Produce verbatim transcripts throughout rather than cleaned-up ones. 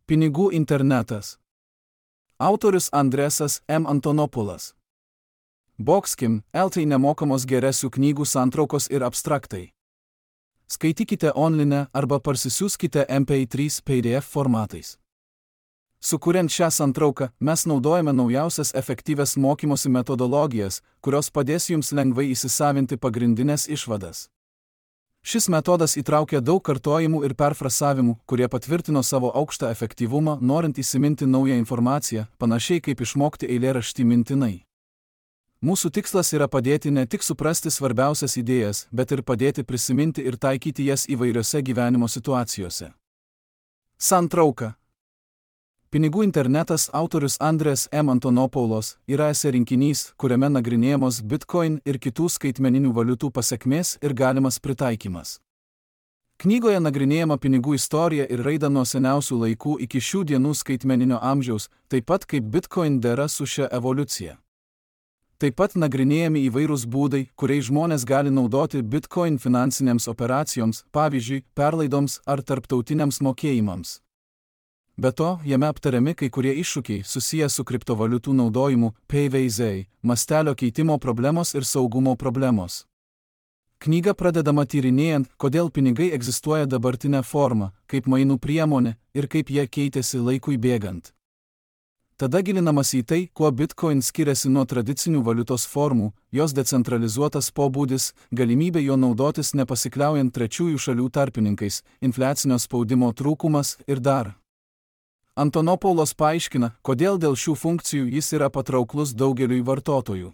Pinigų internetas. Autorius Andresas M. Antonopoulos. Boxkim, L T nemokamos geresių knygų santraukos ir abstraktai. Skaitykite online arba parsisiųskite M P trys P D F formatais. Sukuriant šią santrauką, mes naudojame naujausias efektyvias mokymosi metodologijas, kurios padės jums lengvai įsisavinti pagrindinės išvadas. Šis metodas įtraukia daug kartojimų ir perfrasavimų, kurie patvirtino savo aukštą efektyvumą, norint įsiminti naują informaciją, panašiai kaip išmokti eilėraštį mintinai. Mūsų tikslas yra padėti ne tik suprasti svarbiausias idėjas, bet ir padėti prisiminti ir taikyti jas įvairiose gyvenimo situacijose. Santrauka. Pinigų internetas autorius Andres M. Antonopoulos yra esė rinkinys, kuriame nagrinėjamos Bitcoin ir kitų skaitmeninių valiutų pasekmės ir galimas pritaikymas. Knygoje nagrinėjama pinigų istorija ir raida nuo seniausių laikų iki šių dienų skaitmeninio amžiaus, taip pat kaip Bitcoin dera su šia evoliucija. Taip pat nagrinėjami įvairūs būdai, kuriais žmonės gali naudoti Bitcoin finansinėms operacijoms, pavyzdžiui, perlaidoms ar tarptautiniams mokėjimams. Be to, jame aptariami kai kurie iššūkiai susiję su kriptovaliutų naudojimu, P V Z, mastelio keitimo problemos ir saugumo problemos. Knyga pradedama tyrinėjant, kodėl pinigai egzistuoja dabartinę formą, kaip mainų priemonė ir kaip jie keitėsi laikui bėgant. Tada gilinamas į tai, kuo Bitcoin skiriasi nuo tradicinių valiutos formų, jos decentralizuotas pobūdis, galimybė jo naudotis nepasikliaujant trečiųjų šalių tarpininkais, infliacinio spaudimo trūkumas ir dar. Antonopoulos paaiškina, kodėl dėl šių funkcijų jis yra patrauklus daugeliui vartotojų.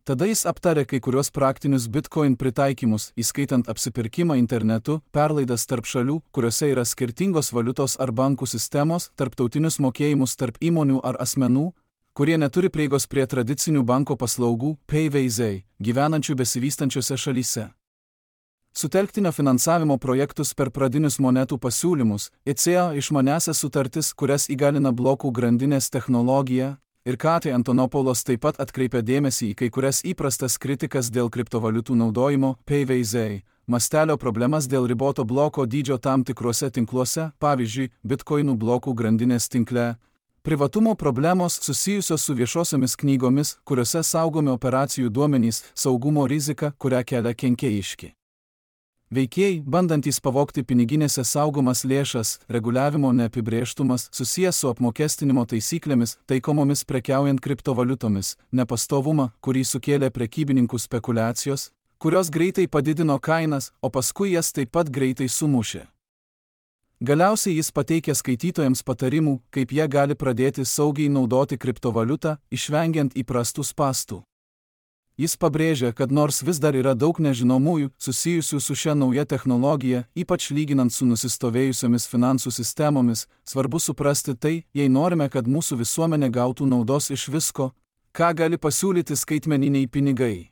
Tada jis aptarė kai kurios praktinius Bitcoin pritaikymus, įskaitant apsipirkimą internetu, perlaidas tarp šalių, kuriuose yra skirtingos valiutos ar bankų sistemos, tarptautinius mokėjimus tarp įmonių ar asmenų, kurie neturi prieigos prie tradicinių banko paslaugų, P V Z, gyvenančių besivystančiose šalyse. Sutelktinio finansavimo projektus per pradinius monetų pasiūlymus, I C A išmanesias sutartis, kurias įgalina blokų grandinės technologija, ir ką tai Antonopoulos taip pat atkreipia dėmesį į kai kurias įprastas kritikas dėl kriptovaliutų naudojimo, P V Z, mastelio problemas dėl riboto bloko dydžio tam tikruose tinkluose, pavyzdžiui, Bitcoinų blokų grandinės tinkle, privatumo problemos susijusios su viešosiomis knygomis, kuriuose saugomi operacijų duomenys, saugumo rizika, kurią kelia kenkėjiški veikėjai, bandantys pavogti piniginėse saugomas lėšas, reguliavimo neapibrėžtumas susijęs su apmokestinimo taisyklėmis, taikomomis prekiaujant kriptovaliutomis, nepastovumą, kurį sukėlė prekybininkų spekulacijos, kurios greitai padidino kainas, o paskui jas taip pat greitai sumušė. Galiausiai jis pateikia skaitytojams patarimų, kaip jie gali pradėti saugiai naudoti kriptovaliutą, išvengiant įprastų spąstų. Jis pabrėžia, kad nors vis dar yra daug nežinomųjų susijusių su šia nauja technologija, ypač lyginant su nusistovėjusiomis finansų sistemomis, svarbu suprasti tai, jei norime, kad mūsų visuomenė gautų naudos iš visko, ką gali pasiūlyti skaitmeniniai pinigai.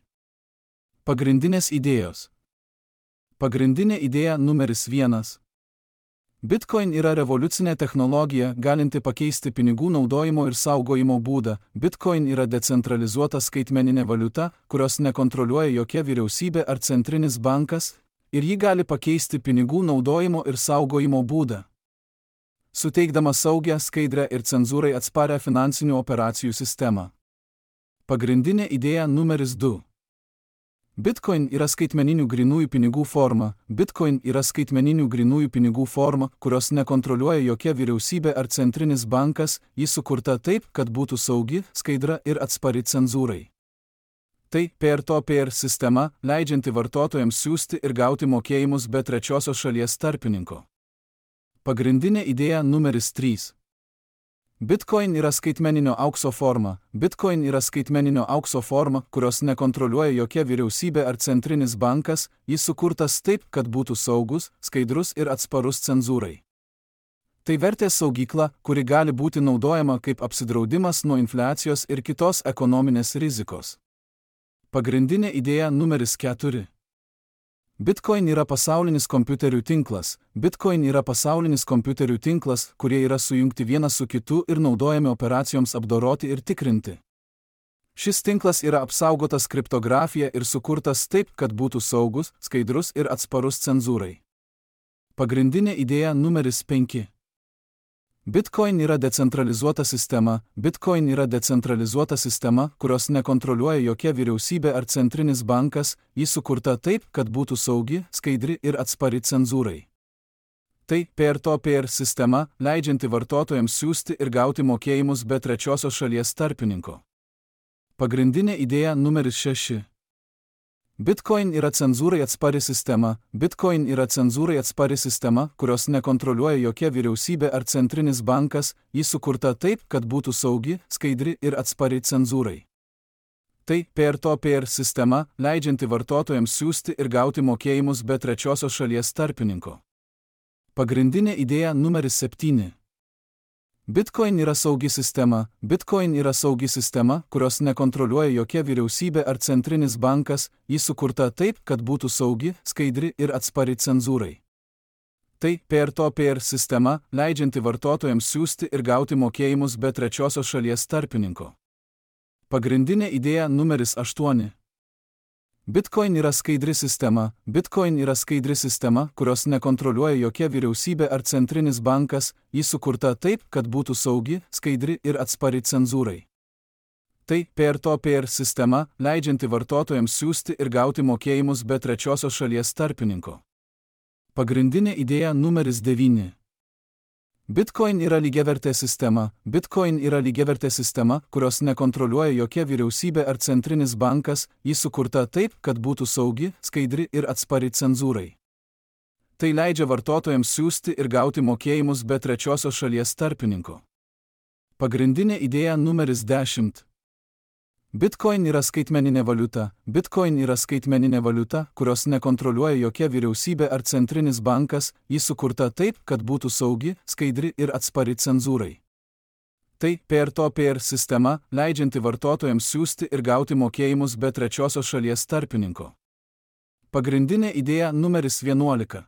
Pagrindinės idėjos. Pagrindinė idėja numeris vienas. Bitcoin yra revoliucinė technologija, galinti pakeisti pinigų naudojimo ir saugojimo būdą. Bitcoin yra decentralizuota skaitmeninė valiuta, kurios nekontroliuoja jokia vyriausybė ar centrinis bankas, ir ji gali pakeisti pinigų naudojimo ir saugojimo būdą, suteikdama saugią, skaidrią ir cenzūrai atsparią finansinių operacijų sistemą. Pagrindinė idėja numeris du. Bitcoin yra skaitmeninių grynųjų pinigų forma. Bitcoin yra skaitmeninių grynųjų pinigų forma, kurios nekontroliuoja jokia vyriausybė ar centrinis bankas, ji sukurta taip, kad būtų saugi, skaidra ir atspari cenzūrai. Tai peer-to-peer sistema, leidžianti vartotojams siųsti ir gauti mokėjimus be trečiosios šalies tarpininko. Pagrindinė idėja numeris trys. Bitcoin yra skaitmeninio aukso forma. Bitcoin yra skaitmeninio aukso forma, kurios nekontroliuoja jokia vyriausybė ar centrinis bankas, jis sukurtas taip, kad būtų saugus, skaidrus ir atsparus cenzūrai. Tai vertės saugykla, kuri gali būti naudojama kaip apsidraudimas nuo infliacijos ir kitos ekonominės rizikos. Pagrindinė idėja numeris keturi. Bitcoin yra pasaulinis kompiuterių tinklas. Bitcoin yra pasaulinis kompiuterių tinklas, kurie yra sujungti vienas su kitu ir naudojami operacijoms apdoroti ir tikrinti. Šis tinklas yra apsaugotas kriptografija ir sukurtas taip, kad būtų saugus, skaidrus ir atsparus cenzūrai. Pagrindinė idėja numeris penki. Bitcoin yra decentralizuota sistema. Bitcoin yra decentralizuota sistema, kurios nekontroliuoja jokia vyriausybė ar centrinis bankas, ji sukurta taip, kad būtų saugi, skaidri ir atspari cenzūrai. Tai peer-to-peer sistema, leidžianti vartotojams siųsti ir gauti mokėjimus be trečiosios šalies tarpininko. Pagrindinė idėja numeris šeši. Bitcoin yra cenzūrai atspari sistema. Bitcoin yra cenzūrai atspari sistema, kurios nekontroliuoja jokia vyriausybė ar centrinis bankas, ji sukurta taip, kad būtų saugi, skaidri ir atspari cenzūrai. Tai peer-to-peer sistema, leidžianti vartotojams siųsti ir gauti mokėjimus be trečiosios šalies tarpininko. Pagrindinė idėja numeris septyni. Bitcoin yra saugi sistema. Bitcoin yra saugi sistema, kurios nekontroliuoja jokia vyriausybė ar centrinis bankas, ji sukurta taip, kad būtų saugi, skaidri ir atspari cenzūrai. Tai peer-to-peer sistema, leidžianti vartotojams siųsti ir gauti mokėjimus be trečiosios šalies tarpininko. Pagrindinė idėja numeris aštuoni. Bitcoin yra skaidri sistema. Bitcoin yra skaidri sistema, kurios nekontroliuoja jokia vyriausybė ar centrinis bankas, ji sukurta taip, kad būtų saugi, skaidri ir atspari cenzūrai. Tai peer-to-peer sistema, leidžianti vartotojams siųsti ir gauti mokėjimus be trečiosios šalies tarpininko. Pagrindinė idėja numeris devyni. Bitcoin yra lygiavertė sistema. Bitcoin yra lygiavertė sistema, kurios nekontroliuoja jokia vyriausybė ar centrinis bankas, ji sukurta taip, kad būtų saugi, skaidri ir atspari cenzūrai. Tai leidžia vartotojams siųsti ir gauti mokėjimus be trečiosios šalies tarpininko. Pagrindinė idėja numeris dešimt. Bitcoin yra skaitmeninė valiuta. Bitcoin yra skaitmeninė valiuta, kurios nekontroliuoja jokia vyriausybė ar centrinis bankas, ji sukurta taip, kad būtų saugi, skaidri ir atspari cenzūrai. Tai peer-to-peer sistema, leidžianti vartotojams siųsti ir gauti mokėjimus be trečiosios šalies tarpininko. Pagrindinė idėja numeris vienuolika.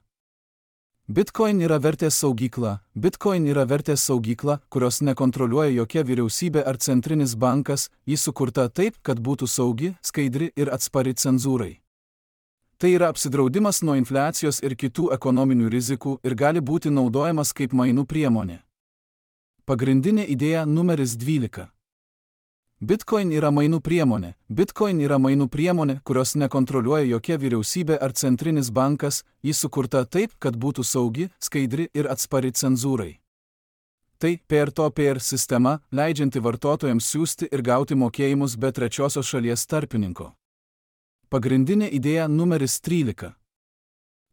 Bitcoin yra vertės saugykla. Bitcoin yra vertės saugykla, kurios nekontroliuoja jokia vyriausybė ar centrinis bankas, ji sukurta taip, kad būtų saugi, skaidri ir atspari cenzūrai. Tai yra apsidraudimas nuo infliacijos ir kitų ekonominių rizikų ir gali būti naudojamas kaip mainų priemonė. Pagrindinė idėja numeris dvylika. Bitcoin yra mainų priemonė. Bitcoin yra mainų priemonė, kurios nekontroliuoja jokia vyriausybė ar centrinis bankas, ji sukurta taip, kad būtų saugi, skaidri ir atspari cenzūrai. Tai peer-to-peer sistema, leidžianti vartotojams siųsti ir gauti mokėjimus be trečiosios šalies tarpininko. Pagrindinė idėja numeris trylika.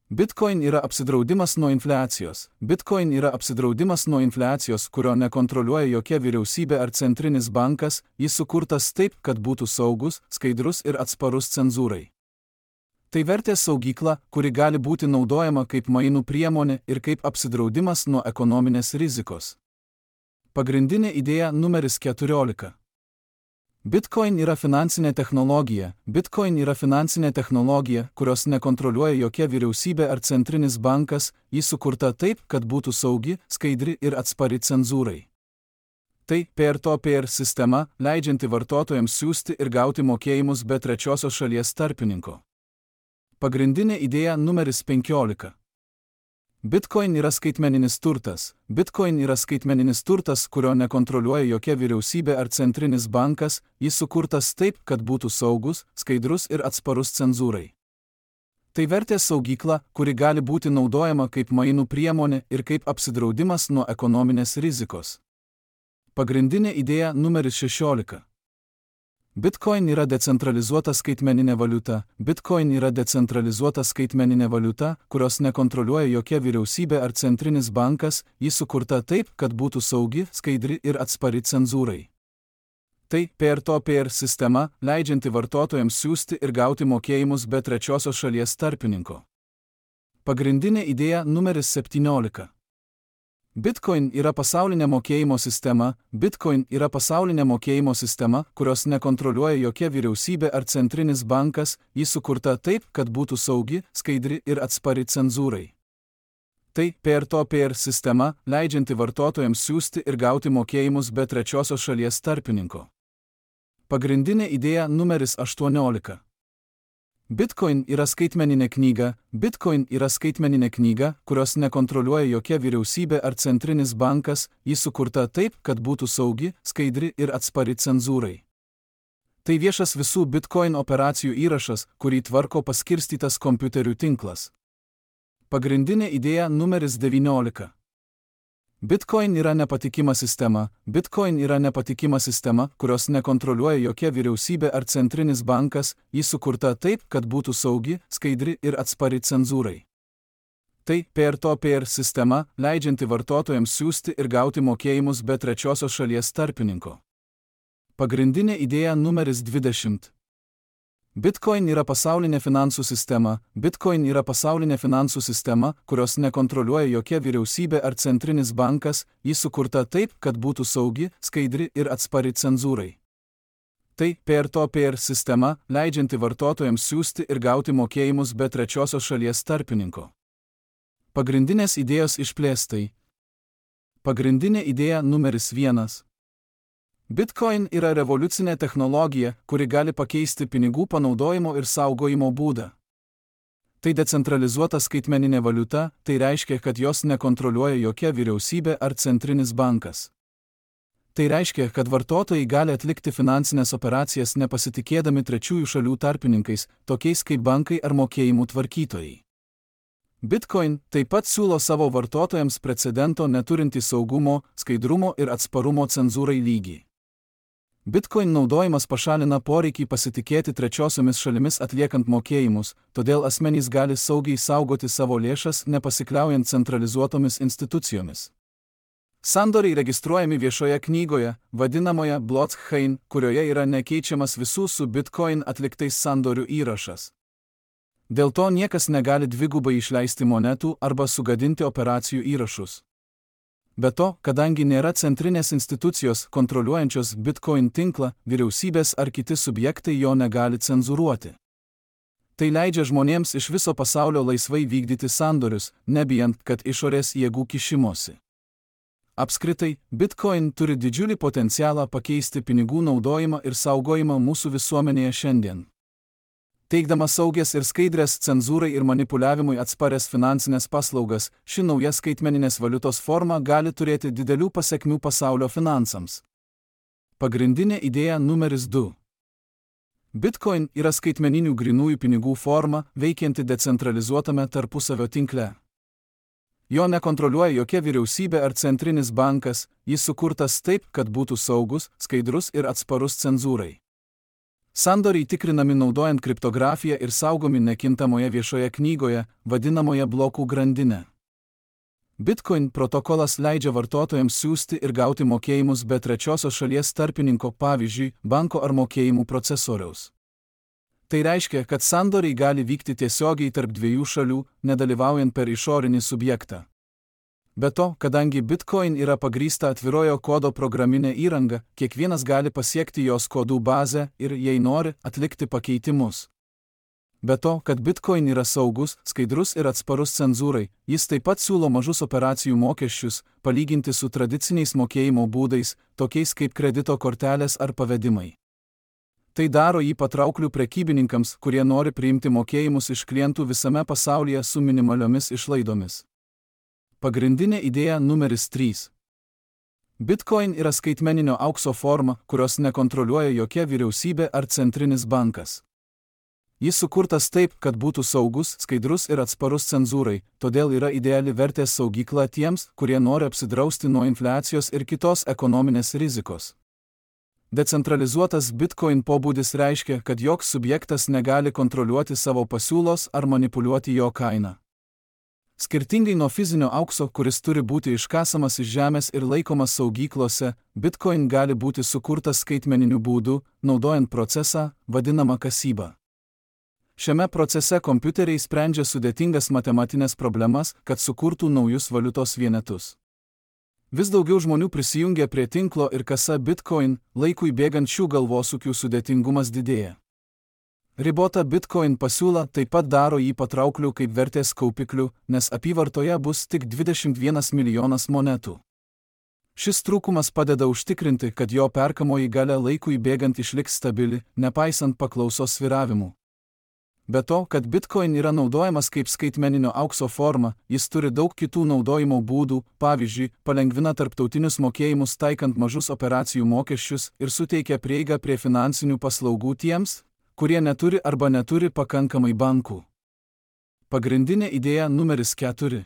Bitcoin yra apsidraudimas nuo infliacijos. Bitcoin yra apsidraudimas nuo infliacijos, kurio nekontroliuoja jokia vyriausybė ar centrinis bankas, jis sukurtas taip, kad būtų saugus, skaidrus ir atsparus cenzūrai. Tai vertės saugykla, kuri gali būti naudojama kaip mainų priemonė ir kaip apsidraudimas nuo ekonominės rizikos. Pagrindinė idėja numeris keturiolika. Bitcoin yra finansinė technologija. Bitcoin yra finansinė technologija, kurios nekontroliuoja jokia vyriausybė ar centrinis bankas, ji sukurta taip, kad būtų saugi, skaidri ir atspari cenzūrai. Tai peer-to-peer sistema, leidžianti vartotojams siųsti ir gauti mokėjimus be trečiosios šalies tarpininko. Pagrindinė idėja numeris penkiolika. Bitcoin yra skaitmeninis turtas. Bitcoin yra skaitmeninis turtas, kurio nekontroliuoja jokia vyriausybė ar centrinis bankas, jis sukurtas taip, kad būtų saugus, skaidrus ir atsparus cenzūrai. Tai vertės saugykla, kuri gali būti naudojama kaip mainų priemonė ir kaip apsidraudimas nuo ekonominės rizikos. Pagrindinė idėja numeris šešiolika. Bitcoin yra decentralizuota skaitmeninė valiuta. Bitcoin yra decentralizuota skaitmeninė valiuta, kurios nekontroliuoja jokia vyriausybė ar centrinis bankas, ji sukurta taip, kad būtų saugi, skaidri ir atspari cenzūrai. Tai peer-to-peer sistema, leidžianti vartotojams siųsti ir gauti mokėjimus be trečiosios šalies tarpininko. Pagrindinė idėja numeris septyniolika. Bitcoin yra pasaulinė mokėjimo sistema. Bitcoin yra pasaulinė mokėjimo sistema, kurios nekontroliuoja jokia vyriausybė ar centrinis bankas, ji sukurta taip, kad būtų saugi, skaidri ir atspari cenzūrai. Tai peer-to-peer sistema, leidžianti vartotojams siųsti ir gauti mokėjimus be trečiosios šalies tarpininko. Pagrindinė idėja numeris aštuoniolika. Bitcoin yra skaitmeninė knyga. Bitcoin yra skaitmeninė knyga, kurios nekontroliuoja jokia vyriausybė ar centrinis bankas, ji sukurta taip, kad būtų saugi, skaidri ir atspari cenzūrai. Tai viešas visų Bitcoin operacijų įrašas, kurį tvarko paskirstytas kompiuterių tinklas. Pagrindinė idėja numeris devyniolika. Bitcoin yra nepatikima sistema. Bitcoin yra nepatikima sistema, kurios nekontroliuoja jokia vyriausybė ar centrinis bankas, ji sukurta taip, kad būtų saugi, skaidri ir atspari cenzūrai. Tai peer-to-peer sistema, leidžianti vartotojams siųsti ir gauti mokėjimus be trečiosios šalies tarpininko. Pagrindinė idėja numeris dvidešimt. Bitcoin yra pasaulinė finansų sistema. Bitcoin yra pasaulinė finansų sistema, kurios nekontroliuoja jokia vyriausybė ar centrinis bankas, ji sukurta taip, kad būtų saugi, skaidri ir atspari cenzūrai. Tai peer-to-peer sistema, leidžianti vartotojams siųsti ir gauti mokėjimus be trečiosios šalies tarpininko. Pagrindinės idėjos išplėstai. Pagrindinė idėja numeris vienas. Bitcoin yra revoliucinė technologija, kuri gali pakeisti pinigų panaudojimo ir saugojimo būdą. Tai decentralizuota skaitmeninė valiuta, tai reiškia, kad jos nekontroliuoja jokia vyriausybė ar centrinis bankas. Tai reiškia, kad vartotojai gali atlikti finansinės operacijas nepasitikėdami trečiųjų šalių tarpininkais, tokiais kaip bankai ar mokėjimų tvarkytojai. Bitcoin taip pat siūlo savo vartotojams precedento neturintį saugumo, skaidrumo ir atsparumo cenzūrai lygį. Bitcoin naudojimas pašalina poreikį pasitikėti trečiosiomis šalimis atliekant mokėjimus, todėl asmenys gali saugiai saugoti savo lėšas nepasikliaujant centralizuotomis institucijomis. Sandoriai registruojami viešoje knygoje, vadinamoje blockchain, kurioje yra nekeičiamas visų su Bitcoin atliktais sandorių įrašas. Dėl to niekas negali dvigubai išleisti monetų arba sugadinti operacijų įrašus. Be to, kadangi nėra centrinės institucijos kontroliuojančios Bitcoin tinklą, vyriausybės ar kiti subjektai jo negali cenzūruoti. Tai leidžia žmonėms iš viso pasaulio laisvai vykdyti sandorius, nebijant, kad išorės jėgų kišimosi. Apskritai, Bitcoin turi didžiulį potencialą pakeisti pinigų naudojimą ir saugojimą mūsų visuomenėje šiandien. Teikdamas saugias ir skaidrias cenzūrai ir manipuliavimui atsparias finansinės paslaugas, ši nauja skaitmeninės valiutos forma gali turėti didelių pasekmių pasaulio finansams. Pagrindinė idėja numeris du. Bitcoin yra skaitmeninių grynųjų pinigų forma, veikianti decentralizuotame tarpusavio tinkle. Jo nekontroliuoja jokia vyriausybė ar centrinis bankas, jis sukurtas taip, kad būtų saugus, skaidrus ir atsparus cenzūrai. Sandoriai tikrinami naudojant kriptografiją ir saugomi nekintamoje viešoje knygoje, vadinamoje blokų grandinė. Bitcoin protokolas leidžia vartotojams siųsti ir gauti mokėjimus be trečiosios šalies tarpininko, pavyzdžiui, banko ar mokėjimų procesoriaus. Tai reiškia, kad sandoriai gali vykti tiesiogiai tarp dviejų šalių, nedalyvaujant per išorinį subjektą. Be to, kadangi Bitcoin yra pagrįsta atvirojo kodo programinė įranga, kiekvienas gali pasiekti jos kodų bazę ir, jei nori, atlikti pakeitimus. Be to, kad Bitcoin yra saugus, skaidrus ir atsparus cenzūrai, jis taip pat siūlo mažus operacijų mokesčius, palyginti su tradiciniais mokėjimo būdais, tokiais kaip kredito kortelės ar pavedimai. Tai daro jį patraukliu prekybininkams, kurie nori priimti mokėjimus iš klientų visame pasaulyje su minimaliomis išlaidomis. Pagrindinė idėja numeris trys. Bitcoin yra skaitmeninio aukso forma, kurios nekontroliuoja jokia vyriausybė ar centrinis bankas. Jis sukurtas taip, kad būtų saugus, skaidrus ir atsparus cenzūrai, todėl yra ideali vertės saugykla tiems, kurie nori apsidrausti nuo infliacijos ir kitos ekonominės rizikos. Decentralizuotas Bitcoin pobūdis reiškia, kad joks subjektas negali kontroliuoti savo pasiūlos ar manipuliuoti jo kainą. Skirtingai nuo fizinio aukso, kuris turi būti iškasamas iš žemės ir laikomas saugyklose, Bitcoin gali būti sukurtas skaitmeniniu būdu, naudojant procesą, vadinamą kasyba. Šiame procese kompiuteriai sprendžia sudėtingas matematinės problemas, kad sukurtų naujus valiutos vienetus. Vis daugiau žmonių prisijungia prie tinklo ir kasa Bitcoin, laikui bėgant šių galvosūkių sudėtingumas didėja. Ribota Bitcoin pasiūla taip pat daro jį patraukliu kaip vertės kaupikliu, nes apyvartoje bus tik dvidešimt vienas milijonas monetų. Šis trūkumas padeda užtikrinti, kad jo perkamoji galia laikui bėgant išliks stabili, nepaisant paklausos svyravimų. Be to, kad Bitcoin yra naudojamas kaip skaitmeninio aukso forma, jis turi daug kitų naudojimo būdų, pavyzdžiui, palengvina tarptautinius mokėjimus taikant mažus operacijų mokesčius ir suteikia prieigą prie finansinių paslaugų tiems, kurie neturi arba neturi pakankamai bankų. Pagrindinė idėja numeris keturi.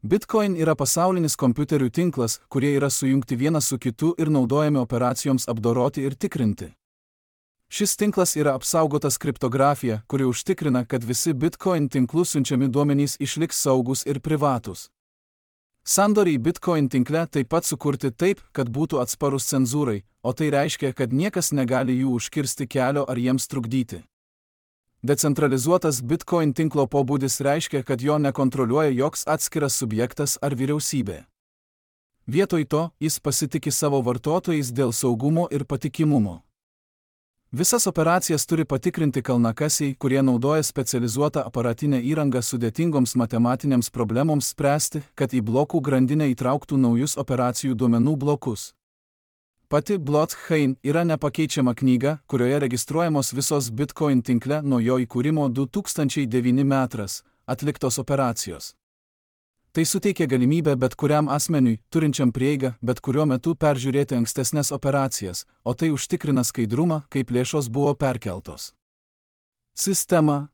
Bitcoin yra pasaulinis kompiuterių tinklas, kurie yra sujungti vienas su kitu ir naudojami operacijoms apdoroti ir tikrinti. Šis tinklas yra apsaugotas kriptografija, kuri užtikrina, kad visi Bitcoin tinklų siunčiami duomenys išliks saugus ir privatūs. Sandoriai Bitcoin tinkle taip pat sukurti taip, kad būtų atsparus cenzūrai, o tai reiškia, kad niekas negali jų užkirsti kelio ar jiems trukdyti. Decentralizuotas Bitcoin tinklo pobūdis reiškia, kad jo nekontroliuoja joks atskiras subjektas ar vyriausybė. Vietoj to, jis pasitiki savo vartotojais dėl saugumo ir patikimumo. Visas operacijas turi patikrinti kalnakasiai, kurie naudoja specializuotą aparatinę įrangą sudėtingoms matematinėms problemoms spręsti, kad į blokų grandinę įtrauktų naujus operacijų duomenų blokus. Pati blockchain yra nepakeičiama knyga, kurioje registruojamos visos Bitcoin tinkle nuo jo įkūrimo du tūkstančiai devinti metais atliktos operacijos. Tai suteikia galimybę bet kuriam asmeniui, turinčiam prieigą, bet kuriuo metu peržiūrėti ankstesnės operacijas, o tai užtikrina skaidrumą, kaip lėšos buvo perkeltos. Sistema.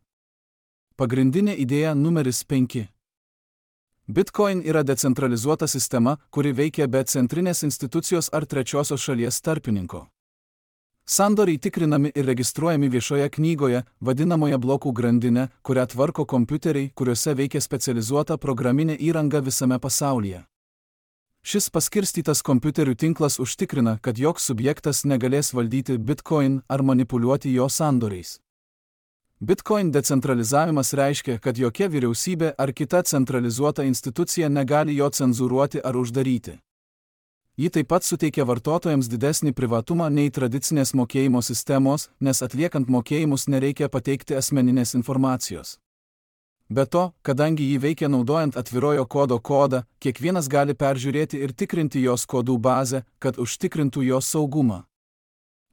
Pagrindinė idėja numeris penki. Bitcoin yra decentralizuota sistema, kuri veikia be centrinės institucijos ar trečiosios šalies tarpininko. Sandoriai tikrinami ir registruojami viešoje knygoje, vadinamoje blokų grandinė, kurią tvarko kompiuteriai, kuriuose veikia specializuota programinė įranga visame pasaulyje. Šis paskirstytas kompiuterių tinklas užtikrina, kad joks subjektas negalės valdyti Bitcoin ar manipuliuoti jo sandoriais. Bitcoin decentralizavimas reiškia, kad jokia vyriausybė ar kita centralizuota institucija negali jo cenzūruoti ar uždaryti. Ji taip pat suteikia vartotojams didesnį privatumą nei tradicinės mokėjimo sistemos, nes atliekant mokėjimus nereikia pateikti asmeninės informacijos. Be to, kadangi ji veikia naudojant atvirojo kodo kodą, kiekvienas gali peržiūrėti ir tikrinti jos kodų bazę, kad užtikrintų jos saugumą.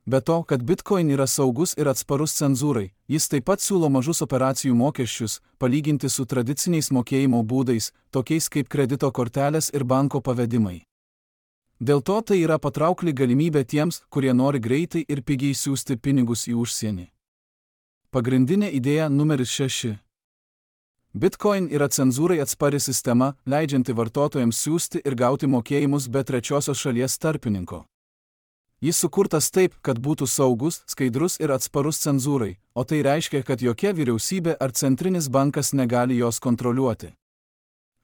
Be to, kad Bitcoin yra saugus ir atsparus cenzūrai, jis taip pat siūlo mažus operacijų mokesčius, palyginti su tradiciniais mokėjimo būdais, tokiais kaip kredito kortelės ir banko pavedimai. Dėl to tai yra patraukli galimybė tiems, kurie nori greitai ir pigiai siųsti pinigus į užsienį. Pagrindinė idėja numeris šeši. Bitcoin yra cenzūrai atspari sistema, leidžianti vartotojams siųsti ir gauti mokėjimus be trečiosios šalies tarpininko. Jis sukurtas taip, kad būtų saugus, skaidrus ir atsparus cenzūrai, o tai reiškia, kad jokia vyriausybė ar centrinis bankas negali jos kontroliuoti.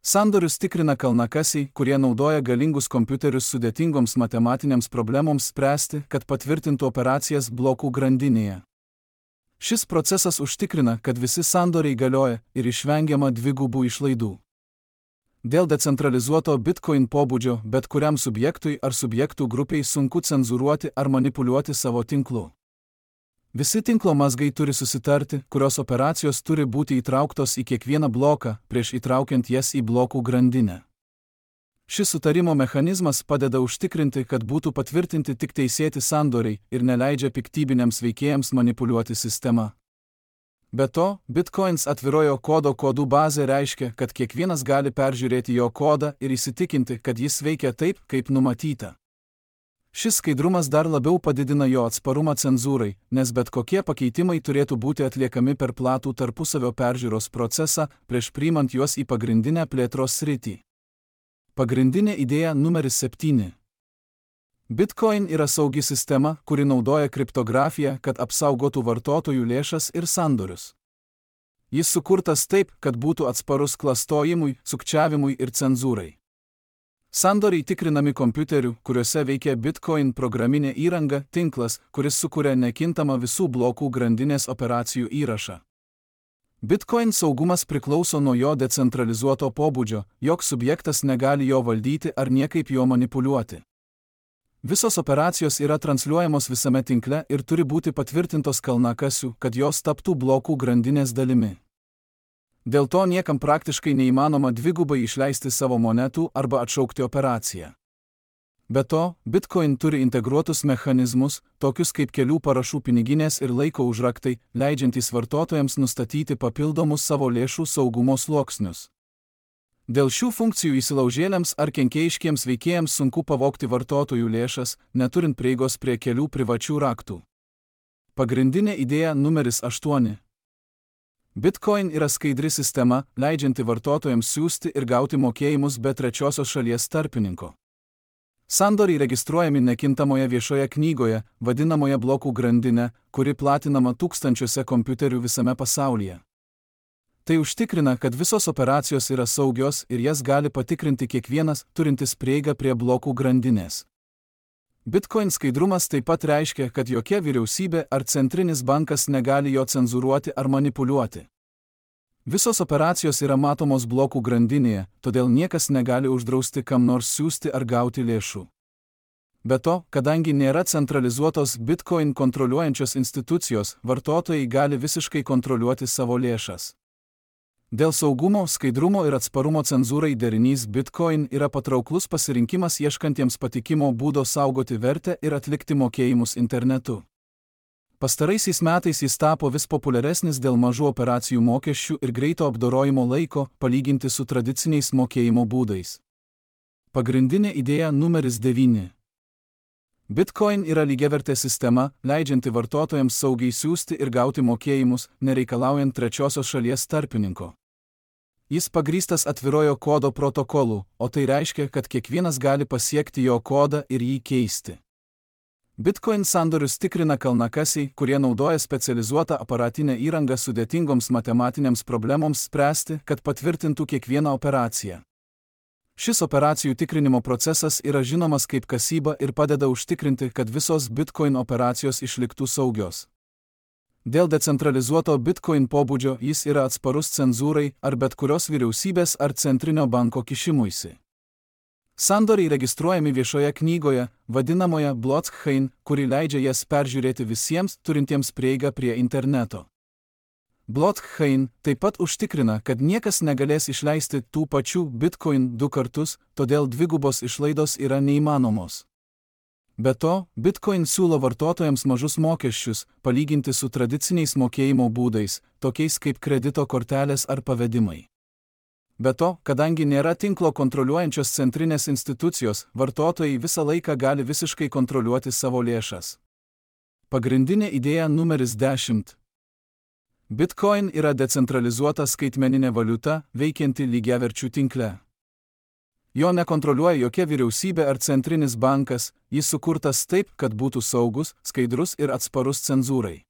Sandorius tikrina kalnakasiai, kurie naudoja galingus kompiuterius sudėtingoms matematinėms problemoms spręsti, kad patvirtintų operacijas blokų grandinėje. Šis procesas užtikrina, kad visi sandoriai galioja ir išvengiama dvigubų išlaidų. Dėl decentralizuoto Bitcoin pobūdžio bet kuriam subjektui ar subjektų grupiai sunku cenzūruoti ar manipuliuoti savo tinklu. Visi tinklo mazgai turi susitarti, kurios operacijos turi būti įtrauktos į kiekvieną bloką, prieš įtraukiant jas į blokų grandinę. Šis sutarimo mechanizmas padeda užtikrinti, kad būtų patvirtinti tik teisėti sandoriai ir neleidžia piktybiniams veikėjams manipuliuoti sistema. Be to, Bitcoins atvirojo kodo kodų bazė reiškia, kad kiekvienas gali peržiūrėti jo kodą ir įsitikinti, kad jis veikia taip, kaip numatyta. Šis skaidrumas dar labiau padidina jo atsparumą cenzūrai, nes bet kokie pakeitimai turėtų būti atliekami per platų tarpusavio peržiūros procesą, prieš priimant juos į pagrindinę plėtros sritį. Pagrindinė idėja numeris septyni. Bitcoin yra saugi sistema, kuri naudoja kriptografiją, kad apsaugotų vartotojų lėšas ir sandorius. Jis sukurtas taip, kad būtų atsparus klastojimui, sukčiavimui ir cenzūrai. Sandoriai tikrinami kompiuterių, kuriuose veikia Bitcoin programinė įranga, tinklas, kuris sukuria nekintamą visų blokų grandinės operacijų įrašą. Bitcoin saugumas priklauso nuo jo decentralizuoto pobūdžio, joks subjektas negali jo valdyti ar niekaip jo manipuliuoti. Visos operacijos yra transliuojamos visame tinkle ir turi būti patvirtintos kalnakasių, kad jos taptų blokų grandinės dalimi. Dėl to niekam praktiškai neįmanoma dvigubai išleisti savo monetų arba atšaukti operaciją. Be to, Bitcoin turi integruotus mechanizmus, tokius kaip kelių parašų piniginės ir laiko užraktai, leidžiantys vartotojams nustatyti papildomus savo lėšų saugumo sluoksnius. Dėl šių funkcijų įsilaužėliams ar kenkėjiškiems veikėjams sunku pavogti vartotojų lėšas, neturint prieigos prie kelių privačių raktų. Pagrindinė idėja numeris aštuoni. Bitcoin yra skaidri sistema, leidžianti vartotojams siųsti ir gauti mokėjimus be trečiosios šalies tarpininko. Sandoriai registruojami nekintamoje viešoje knygoje, vadinamoje blokų grandinė, kuri platinama tūkstančiuose kompiuterių visame pasaulyje. Tai užtikrina, kad visos operacijos yra saugios ir jas gali patikrinti kiekvienas, turintis prieigą prie blokų grandinės. Bitcoin skaidrumas taip pat reiškia, kad jokia vyriausybė ar centrinis bankas negali jo cenzūruoti ar manipuliuoti. Visos operacijos yra matomos blokų grandinėje, todėl niekas negali uždrausti kam nors siųsti ar gauti lėšų. Be to, kadangi nėra centralizuotos Bitcoin kontroliuojančios institucijos, vartotojai gali visiškai kontroliuoti savo lėšas. Dėl saugumo, skaidrumo ir atsparumo cenzūrai derinys Bitcoin yra patrauklus pasirinkimas ieškantiems patikimo būdo saugoti vertę ir atlikti mokėjimus internetu. Pastaraisiais metais jis tapo vis populiaresnis dėl mažų operacijų mokesčių ir greito apdorojimo laiko, palyginti su tradiciniais mokėjimo būdais. Pagrindinė idėja numeris devyni. Bitcoin yra lygiavertė sistema, leidžianti vartotojams saugiai siųsti ir gauti mokėjimus, nereikalaujant trečiosios šalies tarpininko. Jis pagrįstas atvirojo kodo protokolu, o tai reiškia, kad kiekvienas gali pasiekti jo kodą ir jį keisti. Bitcoin sandorius tikrina kalnakasiai, kurie naudoja specializuotą aparatinę įrangą sudėtingoms matematinėms problemoms spręsti, kad patvirtintų kiekvieną operaciją. Šis operacijų tikrinimo procesas yra žinomas kaip kasyba ir padeda užtikrinti, kad visos Bitcoin operacijos išliktų saugios. Dėl decentralizuoto Bitcoin pobūdžio jis yra atsparus cenzūrai ar bet kurios vyriausybės ar centrinio banko kišimuisi. Sandoriai registruojami viešoje knygoje, vadinamoje blockchain, kuri leidžia jas peržiūrėti visiems, turintiems prieigą prie interneto. Blockchain taip pat užtikrina, kad niekas negalės išleisti tų pačių Bitcoin du kartus, todėl dvigubos išlaidos yra neįmanomos. Be to, Bitcoin siūlo vartotojams mažus mokesčius, palyginti su tradiciniais mokėjimo būdais, tokiais kaip kredito kortelės ar pavedimai. Be to, kadangi nėra tinklo kontroliuojančios centrinės institucijos, vartotojai visą laiką gali visiškai kontroliuoti savo lėšas. Pagrindinė idėja numeris dešimt. Bitcoin yra decentralizuota skaitmeninė valiuta, veikianti lygiaverčių tinkle. Jo nekontroliuoja jokia vyriausybė ar centrinis bankas, jis sukurtas taip, kad būtų saugus, skaidrus ir atsparus cenzūrai.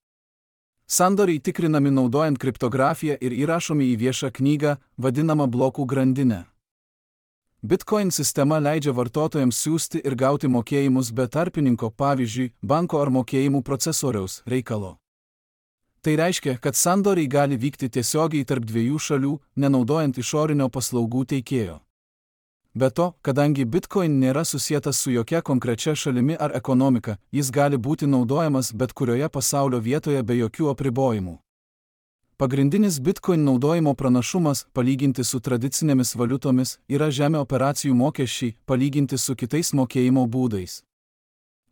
Sandoriai tikrinami naudojant kriptografiją ir įrašomi į viešą knygą, vadinamą blokų grandinę. Bitcoin sistema leidžia vartotojams siųsti ir gauti mokėjimus be tarpininko, pavyzdžiui, banko ar mokėjimų procesoriaus reikalo. Tai reiškia, kad sandoriai gali vykti tiesiogiai tarp dviejų šalių, nenaudojant išorinio paslaugų teikėjo. Be to, kadangi Bitcoin nėra susietas su jokia konkrečia šalimi ar ekonomika, jis gali būti naudojamas bet kurioje pasaulio vietoje be jokių apribojimų. Pagrindinis Bitcoin naudojimo pranašumas, palyginti su tradicinėmis valiutomis, yra žemi operacijų mokesčiai, palyginti su kitais mokėjimo būdais.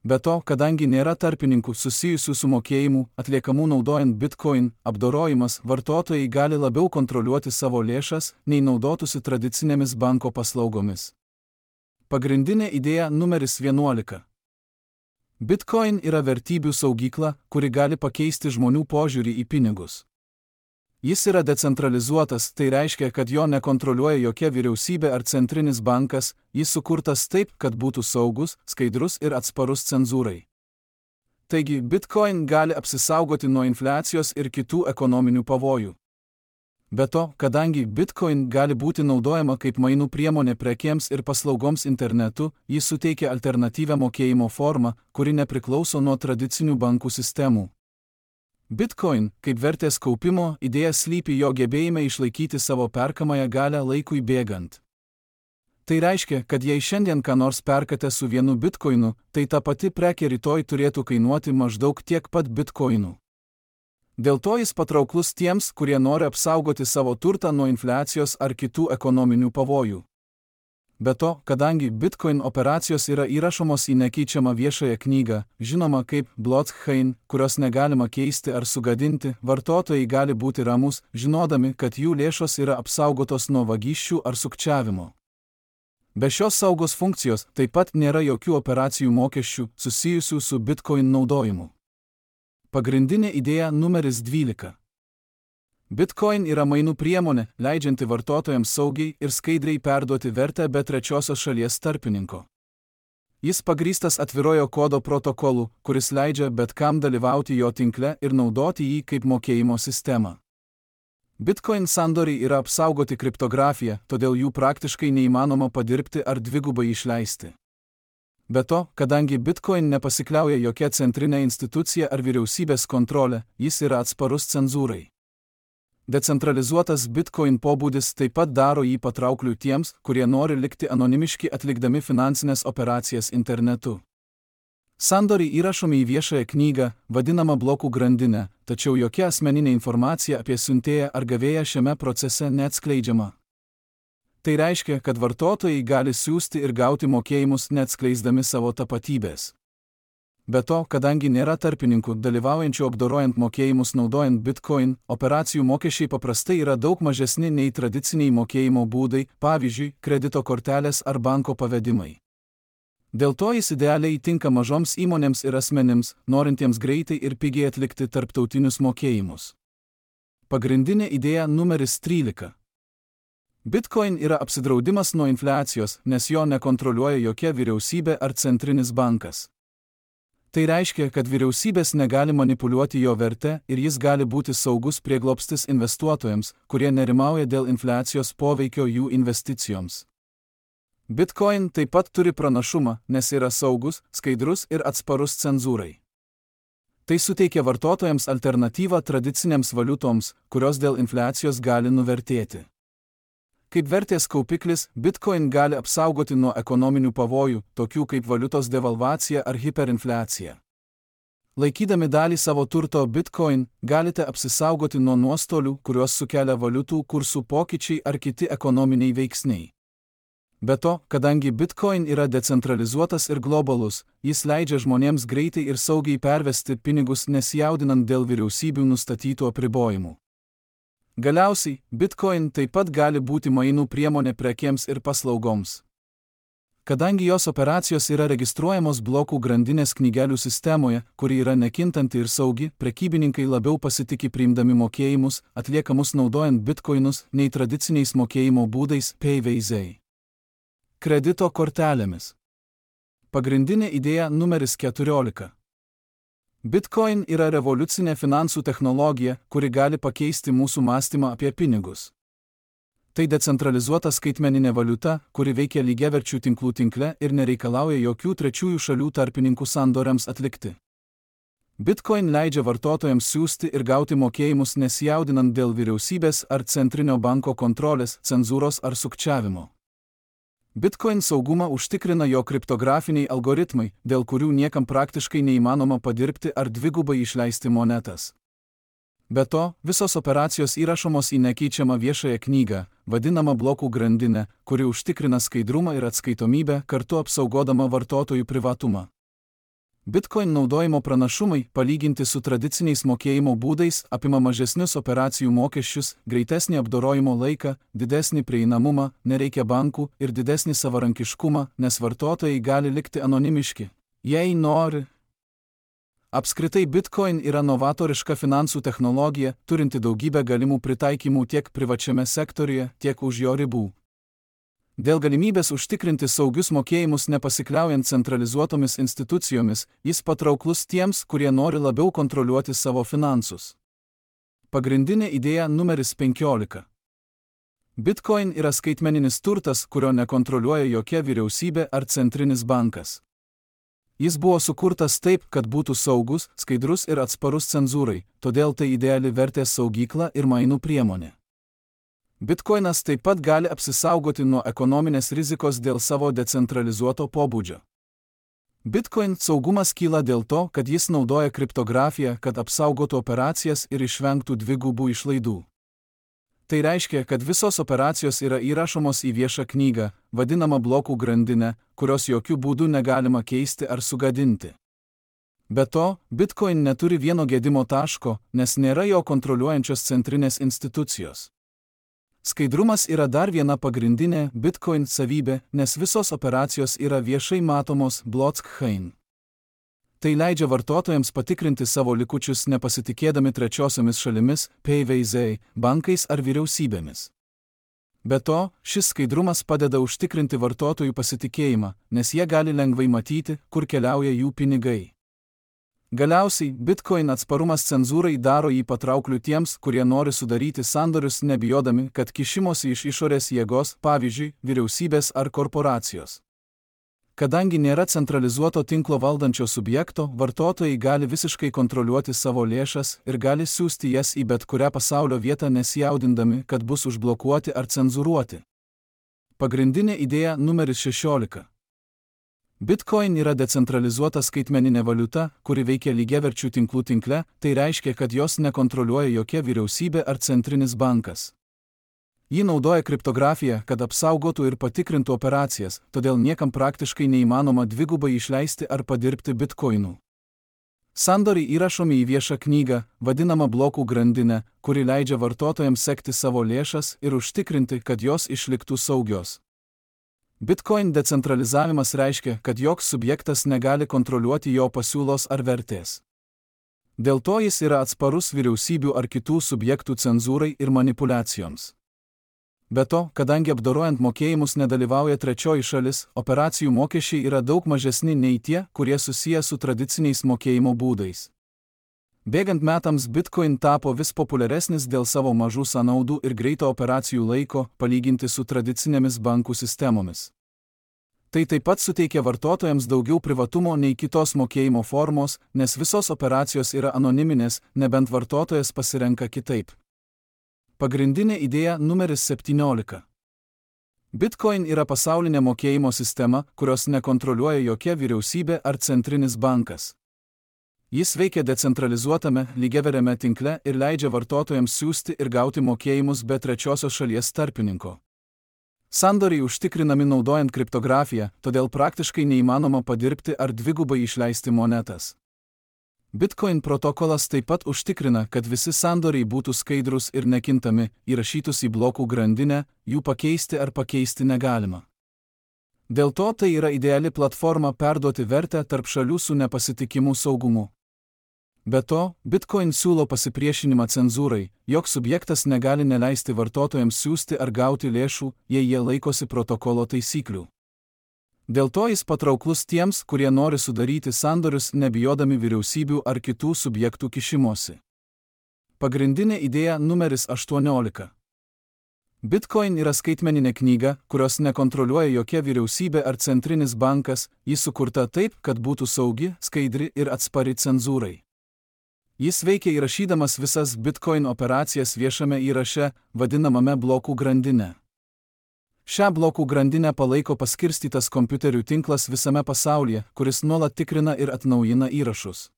Be to, kadangi nėra tarpininkų susijusių su mokėjimu, atliekamų naudojant Bitcoin, apdorojimas, vartotojai gali labiau kontroliuoti savo lėšas, nei naudotųsi tradicinėmis banko paslaugomis. Pagrindinė idėja numeris vienuolika. Bitcoin yra vertybių saugykla, kuri gali pakeisti žmonių požiūrį į pinigus. Jis yra decentralizuotas, tai reiškia, kad jo nekontroliuoja jokia vyriausybė ar centrinis bankas, jis sukurtas taip, kad būtų saugus, skaidrus ir atsparus cenzūrai. Taigi, Bitcoin gali apsisaugoti nuo infliacijos ir kitų ekonominių pavojų. Be to, kadangi Bitcoin gali būti naudojama kaip mainų priemonė prekėms ir paslaugoms internetu, jis suteikia alternatyvią mokėjimo formą, kuri nepriklauso nuo tradicinių bankų sistemų. Bitcoin, kaip vertės kaupimo, idėja slypi jo gebėjime išlaikyti savo perkamąją galią laikui bėgant. Tai reiškia, kad jei šiandien ką nors perkate su vienu bitkoinu, tai ta pati prekė rytoj turėtų kainuoti maždaug tiek pat bitkoinų. Dėl to jis patrauklus tiems, kurie nori apsaugoti savo turtą nuo infliacijos ar kitų ekonominių pavojų. Be to, kadangi Bitcoin operacijos yra įrašomos į nekeičiamą viešąją knygą, žinoma kaip blockchain, kurios negalima keisti ar sugadinti, vartotojai gali būti ramus, žinodami, kad jų lėšos yra apsaugotos nuo vagysčių ar sukčiavimo. Be šios saugos funkcijos taip pat nėra jokių operacijų mokesčių susijusių su Bitcoin naudojimu. Pagrindinė idėja numeris dvylika. Bitcoin yra mainų priemonė, leidžianti vartotojams saugiai ir skaidriai perduoti vertę be trečiosios šalies tarpininko. Jis pagrįstas atvirojo kodo protokolu, kuris leidžia bet kam dalyvauti jo tinkle ir naudoti jį kaip mokėjimo sistemą. Bitcoin sandoriai yra apsaugoti kriptografija, todėl jų praktiškai neįmanoma padirbti ar dvigubai išleisti. Be to, kadangi Bitcoin nepasikliauja jokia centrinė institucija ar vyriausybės kontrolė, jis yra atsparus cenzūrai. Decentralizuotas Bitcoin pobūdis taip pat daro jį patraukliu tiems, kurie nori likti anonimiški atlikdami finansinės operacijas internetu. Sandoriai įrašomi į viešąją knygą, vadinamą blokų grandinę, tačiau jokia asmeninė informacija apie siuntėją ar gavėją šiame procese neatskleidžiama. Tai reiškia, kad vartotojai gali siųsti ir gauti mokėjimus neatskleisdami savo tapatybės. Be to, kadangi nėra tarpininkų dalyvaujančių apdorojant mokėjimus naudojant Bitcoin, operacijų mokesčiai paprastai yra daug mažesni nei tradiciniai mokėjimo būdai, pavyzdžiui, kredito kortelės ar banko pavedimai. Dėl to jis idealiai tinka mažoms įmonėms ir asmenims, norintiems greitai ir pigiai atlikti tarptautinius mokėjimus. Pagrindinė idėja numeris trylika. Bitcoin yra apsidraudimas nuo infliacijos, nes jo nekontroliuoja jokia vyriausybė ar centrinis bankas. Tai reiškia, kad vyriausybės negali manipuliuoti jo verte ir jis gali būti saugus prieglobstis investuotojams, kurie nerimauja dėl infliacijos poveikio jų investicijoms. Bitcoin taip pat turi pranašumą, nes yra saugus, skaidrus ir atsparus cenzūrai. Tai suteikia vartotojams alternatyvą tradicinėms valiutoms, kurios dėl infliacijos gali nuvertėti. Kaip vertės kaupiklis, Bitcoin gali apsaugoti nuo ekonominių pavojų, tokių kaip valiutos devalvacija ar hiperinfliacija. Laikydami dalį savo turto Bitcoin, galite apsisaugoti nuo nuostolių, kuriuos sukelia valiutų kursų pokyčiai ar kiti ekonominiai veiksniai. Be to, kadangi Bitcoin yra decentralizuotas ir globalus, jis leidžia žmonėms greitai ir saugiai pervesti pinigus nesijaudinant dėl vyriausybių nustatytų apribojimų. Galiausiai, Bitcoin taip pat gali būti mainų priemonė prekėms ir paslaugoms. Kadangi jos operacijos yra registruojamos blokų grandinės knygelių sistemoje, kuri yra nekintanti ir saugi, prekybininkai labiau pasitiki priimdami mokėjimus, atliekamus naudojant bitkoinus, nei tradiciniais mokėjimo būdais P V Z. Kredito kortelėmis. Pagrindinė idėja numeris keturiolika. Bitcoin yra revoliucinė finansų technologija, kuri gali pakeisti mūsų mąstymą apie pinigus. Tai decentralizuota skaitmeninė valiuta, kuri veikia lygiaverčių tinklų tinkle ir nereikalauja jokių trečiųjų šalių tarpininkų sandoriams atlikti. Bitcoin leidžia vartotojams siųsti ir gauti mokėjimus nesijaudinant dėl vyriausybės ar centrinio banko kontrolės, cenzūros ar sukčiavimo. Bitcoin saugumą užtikrina jo kriptografiniai algoritmai, dėl kurių niekam praktiškai neįmanoma padirbti ar dvigubai išleisti monetas. Be to, visos operacijos įrašomos į nekeičiamą viešąją knygą, vadinamą blokų grandinę, kuri užtikrina skaidrumą ir atskaitomybę, kartu apsaugodama vartotojų privatumą. Bitcoin naudojimo pranašumai, palyginti su tradiciniais mokėjimo būdais, apima mažesnius operacijų mokesčius, greitesnį apdorojimo laiką, didesnį prieinamumą, nereikia bankų ir didesnį savarankiškumą, nes vartotojai gali likti anonimiški, jei nori. Apskritai Bitcoin yra novatoriška finansų technologija, turinti daugybę galimų pritaikymų tiek privačiame sektoriuje, tiek už jo ribų. Dėl galimybės užtikrinti saugius mokėjimus nepasikliaujant centralizuotomis institucijomis, jis patrauklus tiems, kurie nori labiau kontroliuoti savo finansus. Pagrindinė idėja numeris penkiolika. Bitcoin yra skaitmeninis turtas, kurio nekontroliuoja jokia vyriausybė ar centrinis bankas. Jis buvo sukurtas taip, kad būtų saugus, skaidrus ir atsparus cenzūrai, todėl tai ideali vertės saugykla ir mainų priemonė. Bitcoinas taip pat gali apsisaugoti nuo ekonominės rizikos dėl savo decentralizuoto pobūdžio. Bitcoin saugumas kyla dėl to, kad jis naudoja kriptografiją, kad apsaugotų operacijas ir išvengtų dvigubų išlaidų. Tai reiškia, kad visos operacijos yra įrašomos į viešą knygą, vadinamą blokų grandinę, kurios jokių būdų negalima keisti ar sugadinti. Be to, Bitcoin neturi vieno gedimo taško, nes nėra jo kontroliuojančios centrinės institucijos. Skaidrumas yra dar viena pagrindinė Bitcoin savybė, nes visos operacijos yra viešai matomos blockchain. Tai leidžia vartotojams patikrinti savo likučius nepasitikėdami trečiosiomis šalimis, P V Z, bankais ar vyriausybėmis. Be to, šis skaidrumas padeda užtikrinti vartotojų pasitikėjimą, nes jie gali lengvai matyti, kur keliauja jų pinigai. Galiausiai, Bitcoin atsparumas cenzūrai daro jį patraukliu tiems, kurie nori sudaryti sandorius nebijodami, kad kišimosi iš išorės jėgos, pavyzdžiui, vyriausybės ar korporacijos. Kadangi nėra centralizuoto tinklo valdančio subjekto, vartotojai gali visiškai kontroliuoti savo lėšas ir gali siųsti jas į bet kurią pasaulio vietą nesijaudindami, kad bus užblokuoti ar cenzūruoti. Pagrindinė idėja numeris šešiolika. Bitcoin yra decentralizuota skaitmeninė valiuta, kuri veikia lygiaverčių tinklų tinkle, tai reiškia, kad jos nekontroliuoja jokia vyriausybė ar centrinis bankas. Ji naudoja kriptografiją, kad apsaugotų ir patikrintų operacijas, todėl niekam praktiškai neįmanoma dvigubai išleisti ar padirbti bitkoinų. Sandoriai įrašomi į viešą knygą, vadinamą blokų grandinę, kuri leidžia vartotojams sekti savo lėšas ir užtikrinti, kad jos išliktų saugios. Bitcoin decentralizavimas reiškia, kad joks subjektas negali kontroliuoti jo pasiūlos ar vertės. Dėl to jis yra atsparus vyriausybių ar kitų subjektų cenzūrai ir manipuliacijoms. Be to, kadangi apdorojant mokėjimus nedalyvauja trečioji šalis, operacijų mokesčiai yra daug mažesni nei tie, kurie susiję su tradiciniais mokėjimo būdais. Bėgant metams Bitcoin tapo vis populiaresnis dėl savo mažų sąnaudų ir greito operacijų laiko, palyginti su tradicinėmis bankų sistemomis. Tai taip pat suteikia vartotojams daugiau privatumo nei kitos mokėjimo formos, nes visos operacijos yra anoniminės, nebent vartotojas pasirenka kitaip. Pagrindinė idėja numeris septyniolika. Bitcoin yra pasaulinė mokėjimo sistema, kurios nekontroliuoja jokia vyriausybė ar centrinis bankas. Jis veikia decentralizuotame, lygiaveriame tinkle ir leidžia vartotojams siųsti ir gauti mokėjimus be trečiosios šalies tarpininko. Sandoriai užtikrinami naudojant kriptografiją, todėl praktiškai neįmanoma padirbti ar dvigubai išleisti monetas. Bitcoin protokolas taip pat užtikrina, kad visi sandoriai būtų skaidrus ir nekintami, įrašytus į blokų grandinę, jų pakeisti ar pakeisti negalima. Dėl to tai yra ideali platforma perduoti vertę tarp šalių su nepasitikimu saugumu. Be to, Bitcoin siūlo pasipriešinimą cenzūrai, joks subjektas negali neleisti vartotojams siųsti ar gauti lėšų, jei jie laikosi protokolo taisyklių. Dėl to jis patrauklus tiems, kurie nori sudaryti sandorius nebijodami vyriausybių ar kitų subjektų kišimosi. Pagrindinė idėja numeris aštuoniolika. Bitcoin yra skaitmeninė knyga, kurios nekontroliuoja jokia vyriausybė ar centrinis bankas, ji sukurta taip, kad būtų saugi, skaidri ir atspari cenzūrai. Jis veikia įrašydamas visas Bitcoin operacijas viešame įraše, vadinamame blokų grandinė. Šią blokų grandinę palaiko paskirstytas kompiuterių tinklas visame pasaulyje, kuris nuolat tikrina ir atnaujina įrašus.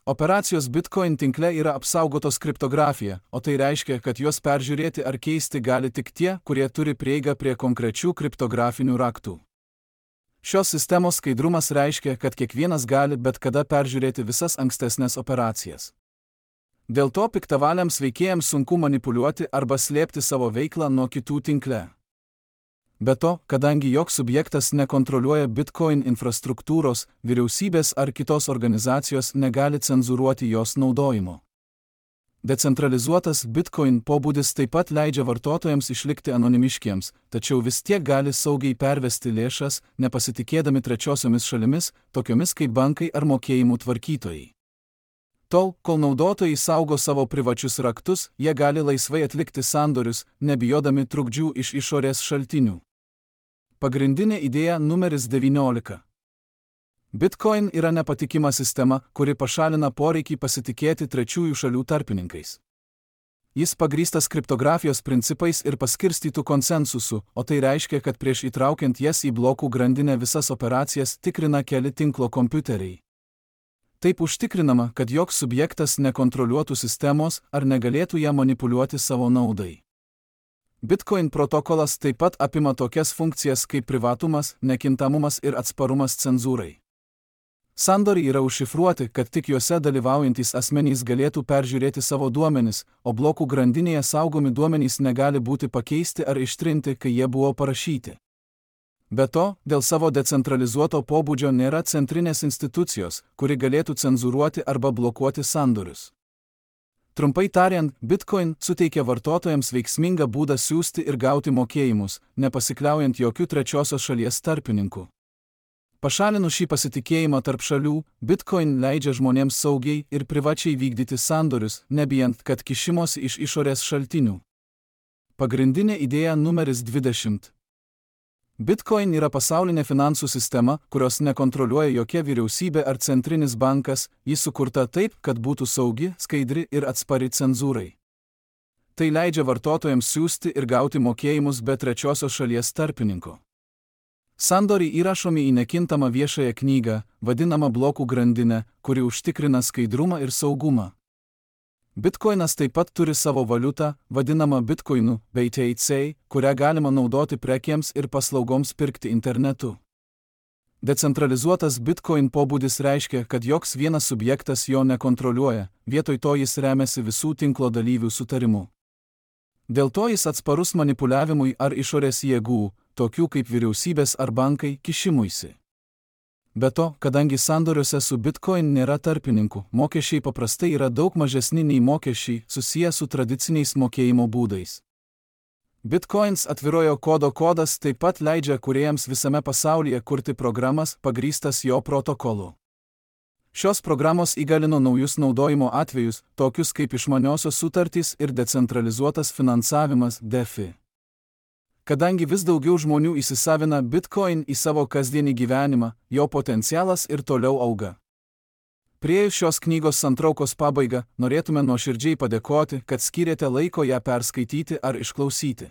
Operacijos Bitcoin tinkle yra apsaugotos kriptografija, o tai reiškia, kad juos peržiūrėti ar keisti gali tik tie, kurie turi prieigą prie konkrečių kriptografinių raktų. Šios sistemos skaidrumas reiškia, kad kiekvienas gali bet kada peržiūrėti visas ankstesnės operacijas. Dėl to piktavaliams veikėjams sunku manipuliuoti arba slėpti savo veiklą nuo kitų tinkle. Be to, kadangi joks subjektas nekontroliuoja Bitcoin infrastruktūros, vyriausybės ar kitos organizacijos negali cenzūruoti jos naudojimo. Decentralizuotas Bitcoin pobūdis taip pat leidžia vartotojams išlikti anonimiškiems, tačiau vis tiek gali saugiai pervesti lėšas, nepasitikėdami trečiosiomis šalimis, tokiomis kaip bankai ar mokėjimų tvarkytojai. Tol, kol naudotojai saugo savo privačius raktus, jie gali laisvai atlikti sandorius, nebijodami trukdžių iš išorės šaltinių. Pagrindinė idėja numeris devyniolika. Bitcoin yra nepatikima sistema, kuri pašalina poreikį pasitikėti trečiųjų šalių tarpininkais. Jis pagrįstas kriptografijos principais ir paskirstytų konsensusu, o tai reiškia, kad prieš įtraukiant jas į blokų grandinę visas operacijas tikrina keli tinklo kompiuteriai. Taip užtikrinama, kad joks subjektas nekontroliuotų sistemos ar negalėtų ją manipuliuoti savo naudai. Bitcoin protokolas taip pat apima tokias funkcijas kaip privatumas, nekintamumas ir atsparumas cenzūrai. Sandoriai yra užšifruoti, kad tik juose dalyvaujantys asmenys galėtų peržiūrėti savo duomenis, o blokų grandinėje saugomi duomenys negali būti pakeisti ar ištrinti, kai jie buvo parašyti. Be to, dėl savo decentralizuoto pobūdžio nėra centrinės institucijos, kuri galėtų cenzūruoti arba blokuoti sandorius. Trumpai tariant, Bitcoin suteikia vartotojams veiksmingą būdą siųsti ir gauti mokėjimus, nepasikliaujant jokių trečiosios šalies tarpininkų. Pašalinus šį pasitikėjimą tarp šalių, Bitcoin leidžia žmonėms saugiai ir privačiai vykdyti sandorius, nebijant, kad kišimosi iš išorės šaltinių. Pagrindinė idėja numeris dvidešimt. Bitcoin yra pasaulinė finansų sistema, kurios nekontroliuoja jokia vyriausybė ar centrinis bankas, ji sukurta taip, kad būtų saugi, skaidri ir atspari cenzūrai. Tai leidžia vartotojams siųsti ir gauti mokėjimus be trečiosios šalies tarpininko. Sandoriai įrašomi į nekintamą viešąją knygą, vadinamą blokų grandinę, kuri užtikrina skaidrumą ir saugumą. Bitcoinas taip pat turi savo valiutą, vadinamą bitcoinu, B T C, kurią galima naudoti prekiams ir paslaugoms pirkti internetu. Decentralizuotas Bitcoin pobūdis reiškia, kad joks vienas subjektas jo nekontroliuoja, vietoj to jis remiasi visų tinklo dalyvių sutarimu. Dėl to jis atsparus manipuliavimui ar išorės jėgų, tokių kaip vyriausybės ar bankai, kišimuisi. Be to, kadangi sandoriuose su Bitcoin nėra tarpininkų, mokesčiai paprastai yra daug mažesni nei mokesčiai susiję su tradiciniais mokėjimo būdais. Bitcoins atvirojo kodo kodas taip pat leidžia kūrėjams visame pasaulyje kurti programas pagrįstas jo protokolu. Šios programos įgalino naujus naudojimo atvejus, tokius kaip išmaniosios sutartys ir decentralizuotas finansavimas D F I. Kadangi vis daugiau žmonių įsisavina Bitcoin į savo kasdienį gyvenimą, jo potencialas ir toliau auga. Priėjus šios knygos santraukos pabaigą, norėtume nuoširdžiai padėkoti, kad skyrėte laiko ją perskaityti ar išklausyti.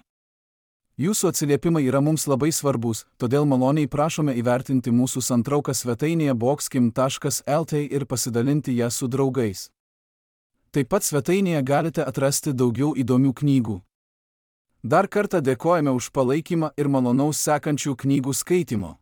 Jūsų atsiliepimai yra mums labai svarbus, todėl maloniai prašome įvertinti mūsų santrauką svetainėje boxkim taškas L T ir pasidalinti ją su draugais. Taip pat svetainėje galite atrasti daugiau įdomių knygų. Dar kartą dėkojame už palaikymą ir malonaus sekančių knygų skaitimo.